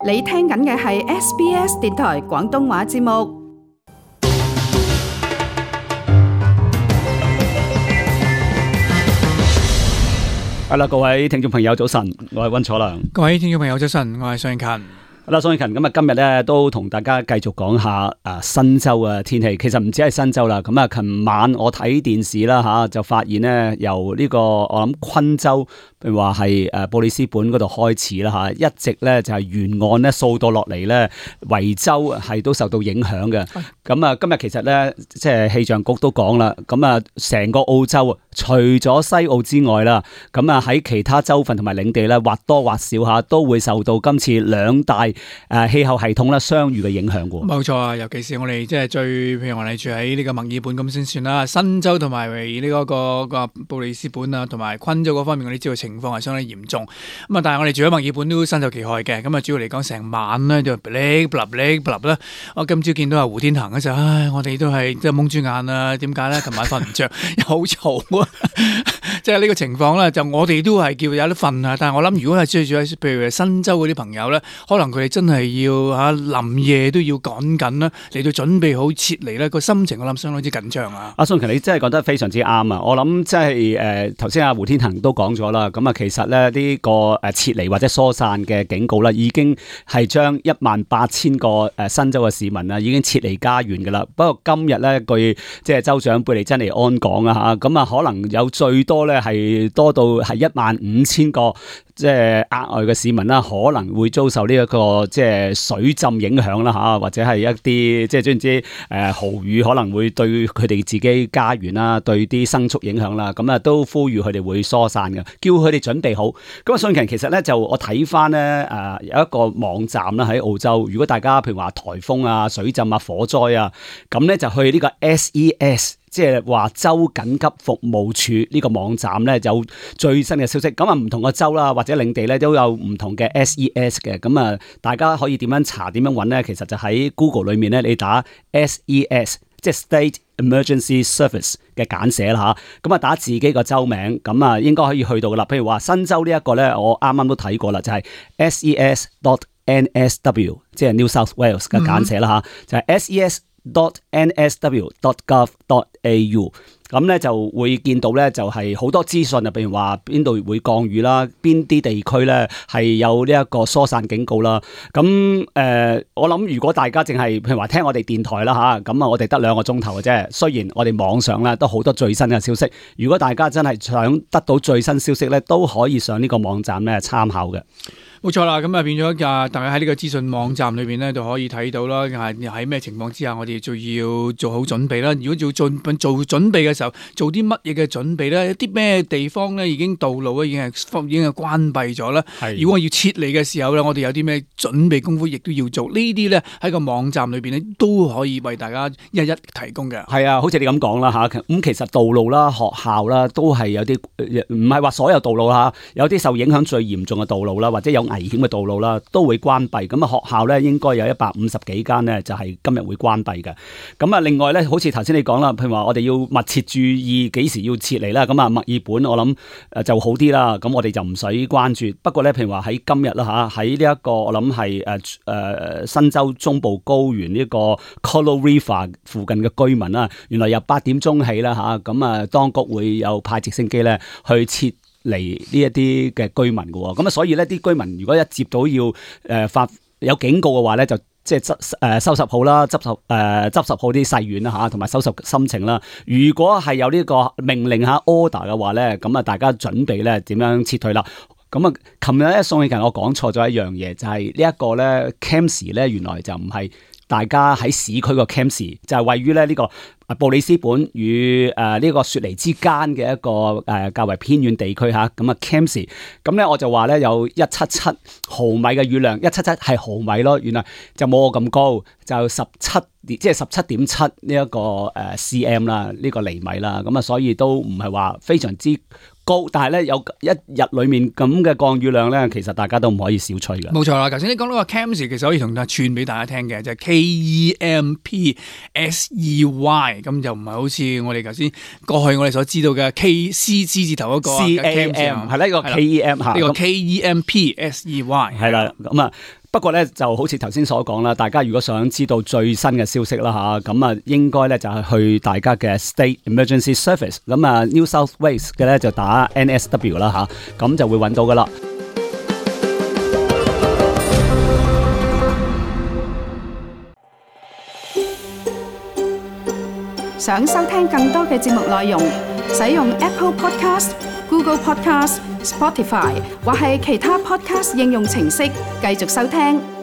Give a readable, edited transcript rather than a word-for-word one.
你聽緊嘅係 SBS 電台廣東話節目。係啦，各位聽眾朋友早晨，我係溫楚良。各位聽眾朋友早晨，我係尚勤。好啦，尚勤，咁啊今日咧都同大家繼續講下新州嘅天氣。其實唔止係新州啦，咁啊琴晚我睇電視啦吓，就發現咧由呢個我諗昆州，譬如話係布里斯本嗰度開始啦吓，一直咧就係沿岸咧掃到落嚟咧，維州係都受到影響嘅。咁啊今日其實咧即係氣象局都講啦，咁啊成個澳洲啊，除咗西澳之外啦，咁啊喺其他州份同埋領地咧，或多或少下都會受到今次兩大氣候系統啦相遇嘅影響嘅。冇錯啊，尤其是我哋即係譬如我哋住喺呢個墨爾本咁先算啦，新州同埋呢個布里斯本啊，同埋昆州嗰方面，我哋知道情況係相當嚴重。咁啊，但係我哋住喺墨爾本都身受其害嘅。咁啊，主要嚟講成晚咧就嗶啦。我今朝見到阿胡天行嗰陣，唉，我哋都係即係蒙住眼啊。點解咧？琴晚瞓唔着，又好嘈啊！即係呢個情況咧，就我哋都係叫有得瞓啊。但係我諗，如果係追住喺譬如新州嗰啲朋友咧，可能佢哋真係要臨夜都要趕緊啦，嚟到準備好撤離咧，個心情我諗相當之緊張啊！阿尚勤，你真係講得非常之啱啊！我諗即係頭先阿胡天行都講咗啦，咁啊其實咧呢個撤離或者疏散嘅警告啦，已經係將18000個新州嘅市民啊已經撤離家園噶啦。不過今日咧據即係州長貝利珍尼安講啊嚇，咁啊可能有最多咧係多到係15000個。即係額外嘅市民啦，可能會遭受呢一個即係水浸影響啦嚇，或者係一啲即係總之豪雨可能會對佢哋自己家園啦，對啲牲畜影響啦，咁啊都呼籲佢哋會疏散嘅，叫佢哋準備好。咁啊，尚勤其實咧就我睇翻咧有一個網站啦喺澳洲，如果大家譬如話颱風啊、水浸啊、火災啊，咁咧就去呢個 SES。即係話州緊急服務處呢個網站咧有最新嘅消息，咁啊唔同嘅州啦或者領地咧都有唔同嘅 SES 嘅，咁啊大家可以點樣查點樣揾咧？其實就喺 Google 裏面咧，你打 SES 即係 State Emergency Service 嘅簡寫啦嚇，咁啊打自己個州名，咁啊應該可以去到噶啦。譬如話新州呢一個咧，我啱啱都睇過啦，就係 SES.NSW 即係 New South Wales 嘅簡寫啦嚇，就係 SES.NSW.gov.au 咁咧就會見到咧就係好多資訊啊，譬如話邊度會降雨啦，邊啲地區咧係有呢一個疏散警告啦。咁我諗如果大家淨係譬如話聽我哋電台啦嚇，咁啊我哋得2個鐘頭嘅啫。雖然我哋網上咧都好多最新嘅消息，如果大家真係想得到最新消息咧，都可以上呢個網站咧參考嘅。冇錯啦，咁啊變咗大家喺呢個資訊網站裏邊咧，就可以睇到啦。喺咩情況之下，我哋就要做好準備啦。如果做準備嘅時候，做啲乜嘢嘅準備咧？一啲咩地方咧已經道路咧已經係關閉咗啦。如果我要撤離嘅時候咧，我哋有啲咩準備功夫，亦都要做。呢啲咧喺個網站裏邊咧都可以為大家一一提供嘅。係啊，好似你咁講啦嚇，咁其實道路啦、學校啦，都係有啲唔係話所有道路啦，有啲受影響最嚴重嘅道路啦，或者有危險嘅道路啦，都會關閉。咁啊，學校咧應該有150幾間咧，就係今日會關閉嘅。咁啊，另外咧，好似頭先你講啦，譬如話我哋要密切注意幾時要撤離啦。咁啊，墨爾本我諗就好啲啦。咁我哋就唔使關注。不過咧，譬如話喺今日啦嚇，喺呢一個我諗係新州中部高原呢個 Colo River 附近嘅居民啦，原來由8點鐘起啦嚇，咁啊當局會有派直升機咧去撤嚟呢一啲嘅居民嘅喎，咁啊所以咧啲居民如果一接到要發有警告嘅話咧，就即係收拾好啦，執拾好啲細軟啦嚇，同埋收拾心情啦。如果係有呢個命令嚇 order 嘅話咧，咁啊大家準備咧點樣撤退啦。咁啊，琴日咧尚勤我講錯咗一樣嘢，就係呢一個咧 Cairns 咧原來就唔係大家喺市區個 Cairns，就係位於咧呢個布里斯本與呢個雪梨之間嘅一個較為偏遠地區嚇，咁啊 Cairns，咁咧我就話咧有177毫米嘅雨量，177係毫米咯，原來就冇我咁高，就17.7呢一個cm 啦，呢個厘米啦，咁啊所以都唔係話非常之高，但係咧有一日裏面咁嘅降雨量咧，其實大家都唔可以小覷嘅。冇錯啦，頭先你講到個 Cairns 其實可以同大家串俾大家聽嘅，就係 KEMPSEY， 咁就唔係好似我哋頭先過去我哋所知道嘅 C 字頭嗰個 CAM 係呢個 KEM 嚇，呢個 KEMPSEY 係啦，咁啊不過咧就好似頭先所講啦，大家如果想知道最新嘅消息啦嚇，咁啊應該咧就係去大家嘅 State Emergency Service， 咁啊 New South Wales 嘅咧就打 NSW 啦嚇，咁就會揾到噶啦。想收聽更多嘅節目內容，使用 Apple Podcast、Google Podcast、Spotify 或係其他 Podcast 應用程式繼續收聽。